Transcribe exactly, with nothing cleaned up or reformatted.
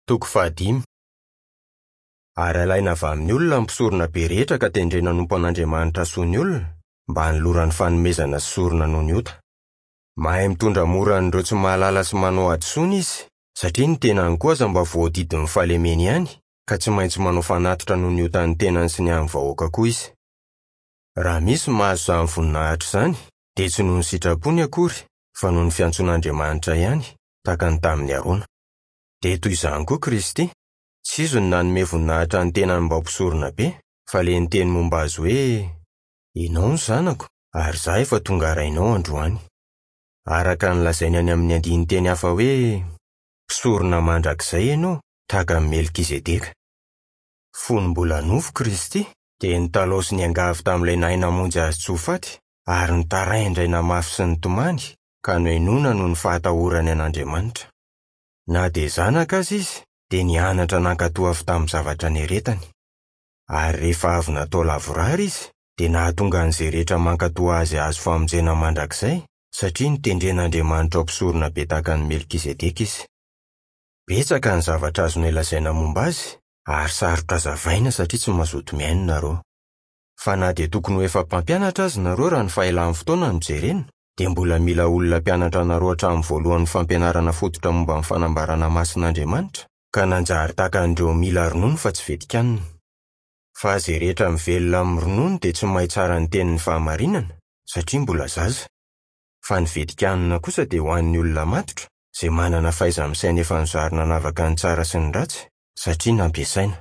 Toko fahadimy. Ary alaina avy amin'ny olona ny mpisorona be rehetra ka tendrena hanompo an'Andriamanitra soa ny olona, mba hanolorany fanomezana sy sorona noho ny ota. Mahay mitondra mora an'ireo tsy mahalala sy manao hadisoana izy, satria ny tenany koa aza mba voadidin'ny fahalemeny ihany, ka tsy maintsy manao fanatitra noho ny otan'ny tenany sy ny an'ny vahoaka koa izy. Raha misy mahazo izany voninahitra izany, dia tsy noho ny sitrapony akory, fa noho ny fiantsoan'Andriamanitra ihany, tahaka ny tamin'i Arona. Dia toy izany koa Kristy, tsy izy no nanome voninahitra ny tenany mba ho mpisorona be, fa ilay niteny momba azy hoe: "Ianao no zanako, ary izaho efa tonga rainao androany." Araka ny lazainy any amin'ny andinin-teny hafa hoe: "Mpisorona mandrakizay ianao, tahaka an'i Melkizedeka." Fony mbola nofo Kristy, dia nitalaho sy niangavy tamin'ilay nahay namonjy azy tsy ho faty, ary nitaraindraina mafy sy nitomany, ka nohenoina noho ny fahatahorany an'Andriamanitra. Na dia zanaka aza izy, dia nianatra nankatò avy tamin'ny zavatra niaretany. Ary rehefa avy natao lavorary izy, dia nahatonga an'izay rehetra mankatò azy hahazo famonjena mandrakizay, satria notendren'Andriamanitra ho mpisorona be tahaka an'i Melkizedeka izy. Betsaka ny zavatra azonay lazaina momba azy, ary sarotra hazavaina satria tsy mazoto mihaino nareo. Fa na dia tokony ho efa mpampianatra aza nareo raha ny fahelan'ny fotoana no jerena, dia mbola mila olona mpianatra anareo hatramin'ny voalohan'ny fampianarana fototra momba ny fanambarana masin'Andriamanitra, ka nanjary tahaka an'ireo mila ronono fa tsy vetikanina. Fa izay rehetra mivelona amin'ny ronono dia tsy mahay tsara ny tenin'ny fahamarinana, satria mbola zaza. Fa ny vetikanina kosa dia ho an'ny olona matotra, izay manana fahaiza-misaina efa nozarina hanavaka ny tsara sy ny ratsy, satria nampiasaina.